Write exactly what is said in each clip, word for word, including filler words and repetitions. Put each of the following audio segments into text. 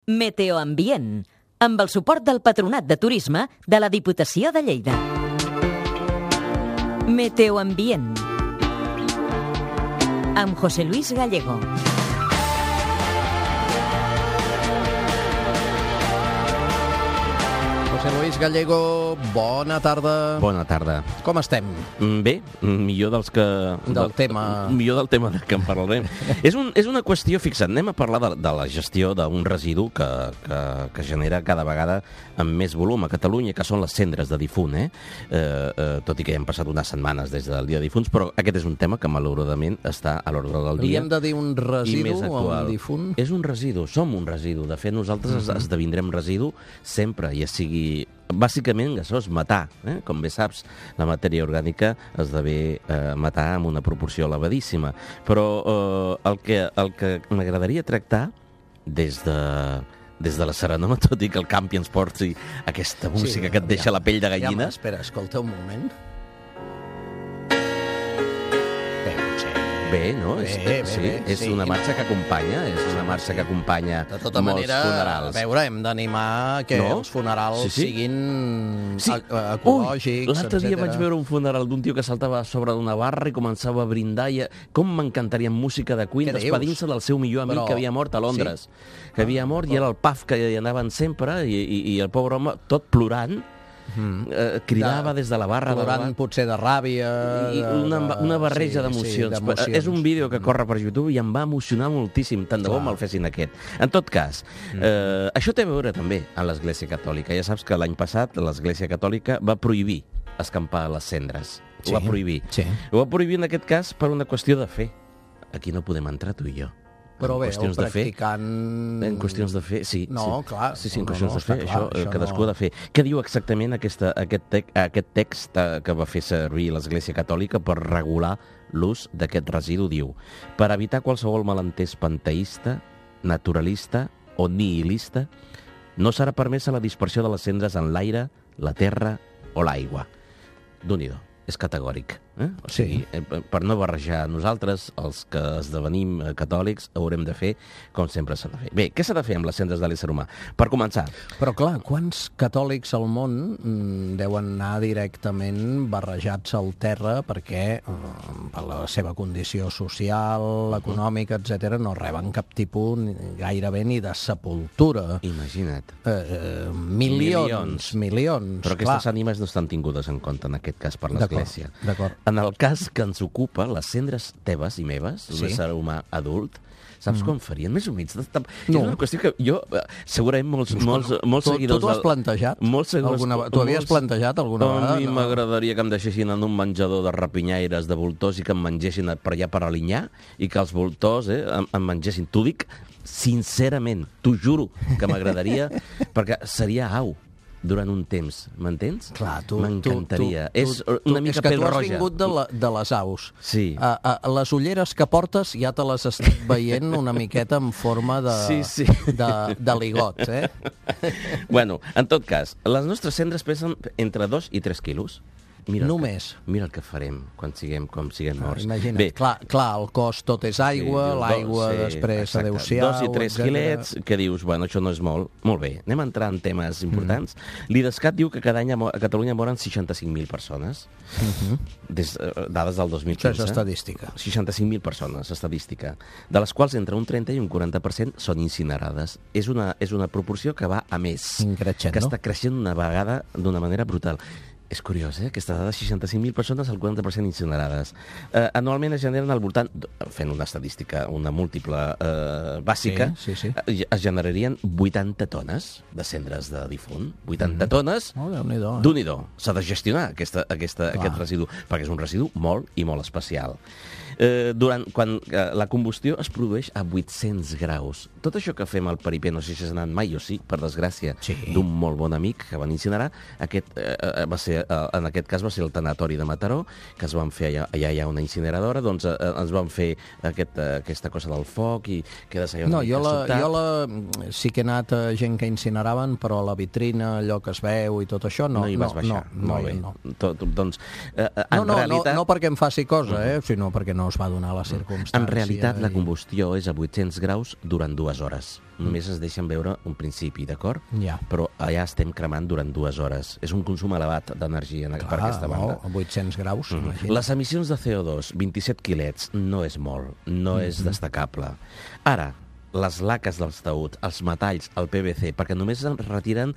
Meteoambient, amb el suport del Patronat de Turisme de la Diputació de Lleida. Meteoambient, amb José Luis Gallego. José Luis Gallego, bona tarda. Bona tarda. Com estem? Bé, millor dels que... Del tema... Millor del tema de què en parlarem. és, un, és una qüestió, fixa't, anem a parlar de, de la gestió d'un residu que, que, que genera cada vegada amb més volum a Catalunya, que són les cendres de difunt, eh? Eh, eh, tot i que ja han passat unes setmanes des del dia de difunts, però aquest és un tema que malauradament està a l'ordre del dia. Hauríem de dir un residu o un difunt? És un residu, som un residu. De fet, nosaltres uh-huh. esdevindrem residu sempre, ja sigui bàsicament gasós, matar. Eh? Com bé saps, la matèria orgànica esdevé eh, matar amb una proporció elevadíssima. Però eh, el que, el que m'agradaria tractar des de, des de la serenor, tot i que el campi ens porti aquesta música sí, que et deixa ja, la pell de gallina. Ja, espera, escolta un moment. Bé, no? Bé, és, bé, sí, bé, és sí. una marxa que acompanya, és una marxa que acompanya de tota molts manera, funerals. A veure, hem d'animar que no? els funerals sí, sí. siguin sí. ecològics, l'altre dia vaig veure un funeral d'un tio que saltava a sobre d'una barra i començava a brindar. I... Com m'encantaria música de Queen, despedint-se del seu millor amic Però... que havia mort a Londres. Sí? Que havia mort ah, i era el pub que hi anaven sempre i, i, i el pobre home, tot plorant, Mm. Eh, cridava de, des de la barra plorant de la... potser de ràbia i una, una barreja sí, d'emocions. Sí, és un vídeo que corre per YouTube i em va emocionar moltíssim, tant de bo me'l fessin aquest. En tot cas, mm. eh, això té a veure també amb l'Església Catòlica. Ja saps que l'any passat l'Església Catòlica va prohibir escampar les cendres. Sí, ho va prohibir. Sí. Ho va prohibir en aquest cas per una qüestió de fe. Aquí no podem entrar tu i jo. Però bé, el practicant... En qüestions de fer, sí. No, sí. clar. Sí, sí, en no, qüestions no, de fer, clar, això, això cadascú no... ha de fer. Què diu exactament aquesta, aquest, tec, aquest text que va fer servir l'Església Catòlica per regular l'ús d'aquest residu? Diu, per evitar qualsevol malentès panteista, naturalista o nihilista, no serà permesa la dispersió de les cendres en l'aire, la terra o l'aigua. Déu-n'hi-do, és categòric. Eh? O sigui, sí. Per no barrejar nosaltres, els que esdevenim catòlics, haurem de fer com sempre s'ha de fer. Bé, què s'ha de fer amb les cendres de l'ésser humà? Per començar... Però clar, quants catòlics al món mm, deuen anar directament barrejats al terra perquè mm, per la seva condició social, econòmica, etcètera, no reben cap tipus ni, gairebé ni de sepultura. Imagina't. Eh, eh, milions, milions, milions. Però aquestes clar. ànimes no estan tingudes en compte en aquest cas per l'Església. D'acord. En el cas que ens ocupa, les cendres teves i meves, d'un sí. ésser humà adult, saps mm. com farien? Més humits. No. És una qüestió que jo, segurament molts, molts, molts tu, seguidors... Tu t'ho has plantejat? Molts seguidors, alguna, tu havies molts, plantejat alguna vegada? A mi no? m'agradaria que em deixessin en un menjador de rapinyaires, de voltors, i que em mengessin per allà per alinyar, i que els voltors eh, em, em mengessin. T'ho dic sincerament, t'ho juro que m'agradaria, perquè seria au durant un temps, m'entens? Clar, tu... M'encantaria. Tu, tu, és una tu, mica és que pèl tu has roja. vingut de, la, de les aus. Sí. A, a, les ulleres que portes ja te les estic veient una miqueta en forma de, sí, sí. de, de ligot, eh? Bueno, en tot cas, les nostres cendres pesen entre dos i tres quilos. Mira Només. Que, mira el que farem quan siguem com siguem morts. Ah, imagina't, Bé, clar, clar, el cos tot és aigua, sí, l'aigua sí, després adeu-siau... Dos i tres etcètera. Quilets, que dius, bueno, això no és molt. Molt bé, anem a entrar en temes importants. Mm. L'IDESCAT diu que cada any a Catalunya moren seixanta-cinc mil persones, mm-hmm. des, dades del dos mil quinze. Això és estadística. seixanta-cinc mil persones, estadística, de les quals entre un trenta i un quaranta per cent són incinerades. És una, és una proporció que va a més, Increixent, que no? està creixent una vegada d'una manera brutal. És curiós, eh? Aquesta dada, seixanta-cinc mil persones, el quaranta per cent incinerades. Eh, anualment es generen al voltant, fent una estadística, una múltiple eh, bàsica, sí, sí, sí. Eh, es generarien vuitanta tones de cendres de difunt. vuitanta mm. tones. Oh, Déu-n'hi-do. Eh? Déu-n'hi-do. S'ha de gestionar aquesta, aquesta, aquest residu, perquè és un residu molt i molt especial. Eh, durant, quan eh, la combustió es produeix a vuit-cents graus. Tot això que fem al peripé, no sé si has anat mai o sí, per desgràcia, sí. d'un molt bon amic que van incinerar, aquest, eh, va ser, eh, en aquest cas va ser el tanatori de Mataró, que es van fer allà, allà hi ha una incineradora, doncs eh, ens van fer aquest, eh, aquesta cosa del foc i quedes allà una no, mica jo la, sobtat. jo la, sí que he anat a gent que incineraven, però a la vitrina, allò que es veu i tot això, no. No hi vas no, baixar, no, molt no, bé. No. Tot, doncs, eh, en no, no, realitat... no, no perquè em faci cosa, eh, sinó perquè no no es va donar la circumstància. En realitat, la i... combustió és a vuit-cents graus durant dues hores. Només es deixen veure un principi, d'acord? Ja. Però allà estem cremant durant dues hores. És un consum elevat d'energia per aquesta banda. A vuit-cents graus, Mm. imagina't. Les emissions de C O dos, vint-i-set quilets, no és molt, no és destacable. Ara, les laques dels taüts, els metalls, el P V C, perquè només en retiren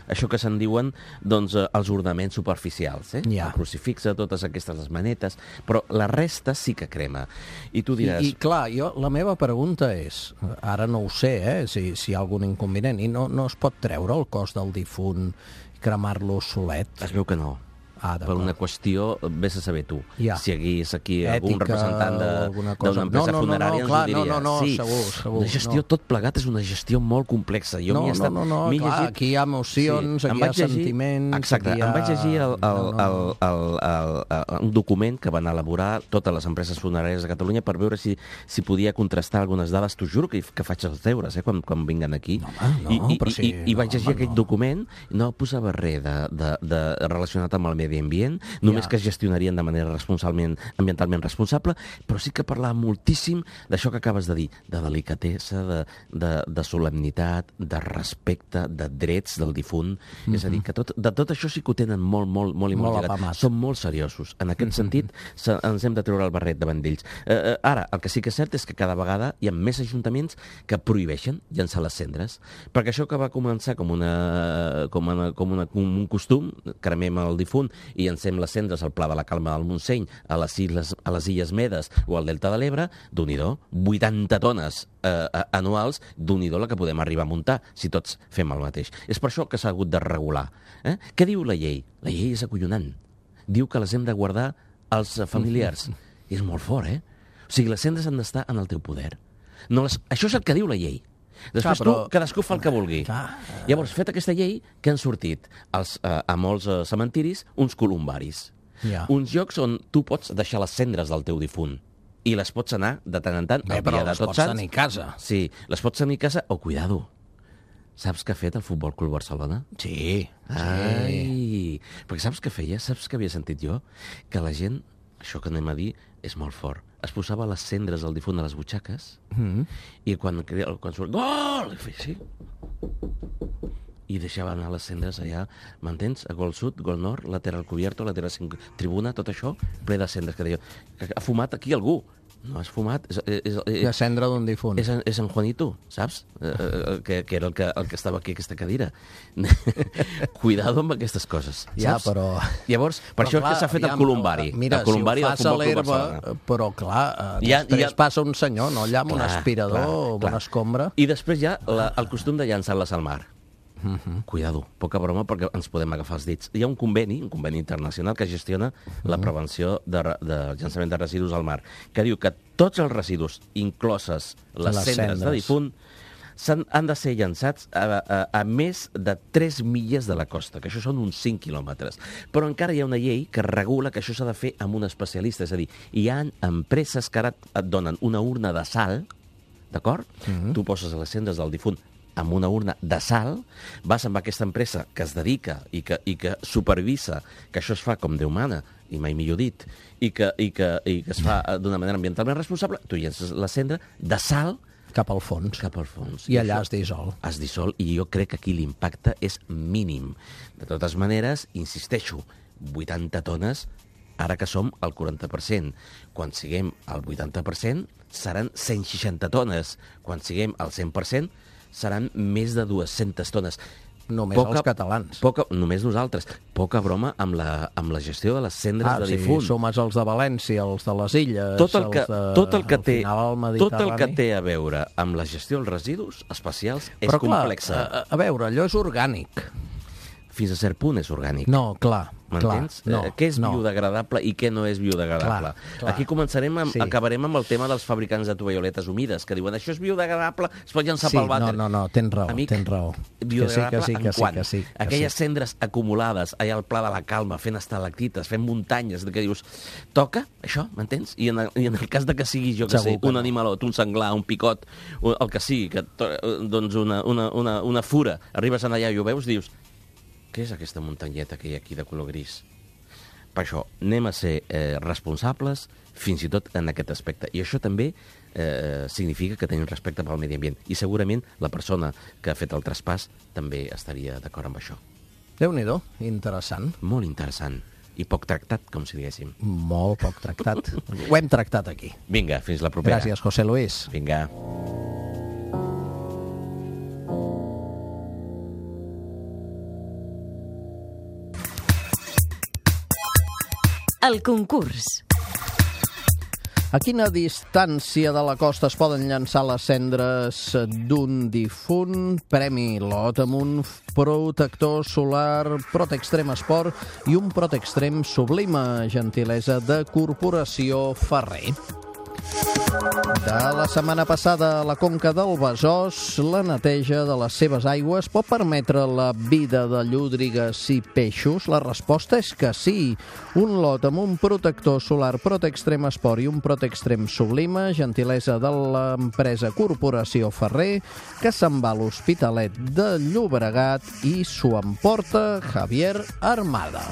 això que se'n diuen doncs, eh, els ornaments superficials, eh? Ja. El crucifixe, totes aquestes les manetes, però la resta sí que crema. I tu I, diràs... I, clar, jo, la meva pregunta és, ara no ho sé, eh, si, si hi ha algun inconvenient, i no, no es pot treure el cos del difunt i cremar-lo solet? Es veu que no. Ah, per una qüestió, vés a saber tu. Ja. Si hi hagués aquí Ètica algun representant o alguna cosa. d'una empresa No, no, no, funerària, no, clar, ens ho diria. no, no, no, sí, segur, segur, una gestió, no. tot plegat és una gestió molt complexa. Jo No, m'hi he estat, no, no, no, m'hi he clar, llegit... aquí hi ha emocions, em aquí hi ha vaig llegir- sentiments, Exacte, aquí hi ha- em vaig llegir el, el, No, no. el, el, el, el, un document que van elaborar totes les empreses funeràries de Catalunya per veure si, si podia contrastar algunes dades. T'ho juro que, que faig els deures eh, quan, quan vinguen aquí. No, home, no, I, i, però sí, i, i vaig no, llegir home, aquell no. document, no posava res de, de, de relacionat amb el medi ambient, només Ja. que es gestionarien de manera responsablement, ambientalment responsable, però sí que parlava moltíssim d'això que acabes de dir, de delicatesa, de, de, de solemnitat, de respecte, de drets del difunt. Mm-hmm. És a dir, que tot, de tot això sí que ho tenen molt, molt, molt i molt, Molt lligat. apamat. Són molt seriosos. En aquest mm-hmm. sentit, se, ens hem de treure el barret davant d'ells. Eh, eh, ara, el que sí que és cert és que cada vegada hi ha més ajuntaments que prohibeixen llançar les cendres, perquè això que va començar com, una, com, una, com, una, com un costum, cremem el difunt i llancem les cendres al Pla de la Calma del Montseny, a les Illes, a les Illes Medes o al Delta de l'Ebre, d'un-i-do, vuitanta tones eh, anuals, d'un-i-do la que podem arribar a muntar, si tots fem el mateix. És per això que s'ha hagut de regular. Eh? Què diu la llei? La llei és acollonant. Diu que les hem de guardar als familiars. És molt fort, eh? O sigui, les cendres han d'estar en el teu poder. No les... Això és el que diu la llei. Després Clar, però... tu, cadascú fa el que vulgui. Clar. Llavors, fet aquesta llei, que han sortit als, eh, a molts eh, cementiris uns columbaris. Ja. Uns llocs on tu pots deixar les cendres del teu difunt i les pots anar de tant en tant Bé, el però dia de les Tots pots Sants. tenir a casa. Sí, les pots tenir a casa o, cuidado, saps què ha fet el Futbol Club Barcelona? Sí, Ai, perquè saps què feia? Saps què havia sentit jo? Que la gent, això que anem a dir, és molt fort. Es posava les cendres del difunt a les butxaques mm. i quan, quan surt gol, i feia així. I deixava anar les cendres allà, m'entens? A gol sud, gol nord, lateral cubierto, lateral cinc, tribuna, tot això, ple de cendres. Que deia, que ha fumat aquí algú. No has fumat. És, és, és, de cendra d'un difunt. és, en, és en Juanito, saps? Eh, eh, que, que era el que, el que estava aquí a aquesta cadira. Cuidado amb aquestes coses, saps? Ja, però... Llavors, per però això clar, que s'ha fet aviam, el columbari. Mira, el columbari si ho del fas a Futbol Club l'herba, Barcelona. però clar, eh, Ja- després ja- passa un senyor, no? Allà amb un aspirador clar, o amb clar. una escombra. I després hi ha la, el costum de llançar-les al mar. Uh -huh. Cuidado, poca broma, perquè ens podem agafar els dits. Hi ha un conveni, un conveni internacional que gestiona uh -huh. la prevenció de, de llançament de residus al mar, que diu que tots els residus, incloses les, Les cendres, cendres. de difunt, han, han de ser llançats a, a, a més de tres milles de la costa, que això són uns cinc quilòmetres. Però encara hi ha una llei que regula que això s'ha de fer amb un especialista, és a dir, hi ha empreses que ara et donen una urna de sal, d'acord? Uh -huh. Tu poses les cendres del difunt amb una urna de sal, vas amb aquesta empresa que es dedica i que, i que supervisa que això es fa com Déu mana, i mai millor dit, i que, i que, i que es fa d'una manera ambientalment responsable, tu llences la cendra de sal Cap al fons. cap al fons. I allà això es dissol. Es dissol, i jo crec que aquí l'impacte és mínim. De totes maneres, insisteixo, vuitanta tones, ara que som al quaranta per cent. Quan siguem al vuitanta per cent, seran cent seixanta tones. Quan siguem al cent per cent, seran més de dues-centes tones. Només els catalans. Poca, només nosaltres. Poca broma amb la, amb la gestió de les cendres Ah, de sí, difunt. sumes els de València, els de les Illes, Tot el que, els de, tot el que al té, final, el tot el que Mediterrani. té a veure amb la gestió dels residus especials és Però, clar, complexa. a, a veure, allò és orgànic. Fins a cert punt és orgànic. No, clar, clar. M'entens? No, Eh, què és no. biodegradable i què no és biodegradable? Clar, clar. Aquí començarem amb, Sí. acabarem amb el tema dels fabricants de tovalloletes humides, que diuen això és biodegradable, es pot llançar Sí, pel vàter. no, no, no, tens raó, Amic, tens raó. Que sí, biodegradable que sí, que en sí, quant? que sí, que Aquelles sí. cendres acumulades allà al Pla de la Calma, fent estalactites, fent muntanyes, que dius, toca això, m'entens? I, en el, I en el cas de que sigui, jo que Segur sé, que un no. animalot, un senglar, un picot, un- el que sigui, que, to- doncs una, una, una, una fura, arribes allà i ho veus, dius, què és aquesta muntanyeta que hi ha aquí de color gris? per això, anem a ser eh, responsables fins i tot en aquest aspecte. I això també eh, significa que tenim respecte pel medi ambient. I segurament la persona que ha fet el traspàs també estaria d'acord amb això. Déu-n'hi-do, interessant. Molt interessant. I poc tractat, com si diguéssim. Molt poc tractat. Ho hem tractat aquí. Vinga, fins la propera. Gràcies, José Luis. Vinga. El concurs. A quina distància de la costa es poden llançar les cendres d'un difunt? Premi Lotamunt, protector solar, Protextrem Esport i un Protextrem Sublima, gentilesa de Corporació Ferrer. De la setmana passada, a la conca del Besòs, la neteja de les seves aigües pot permetre la vida de llúdrigues i peixos? La resposta és que sí. Un lot amb un protector solar Protextrem Esport i un Protextrem Sublima, gentilesa de l'empresa Corporació Ferrer, que se'n va a l'Hospitalet de Llobregat i s'ho emporta Javier Armada.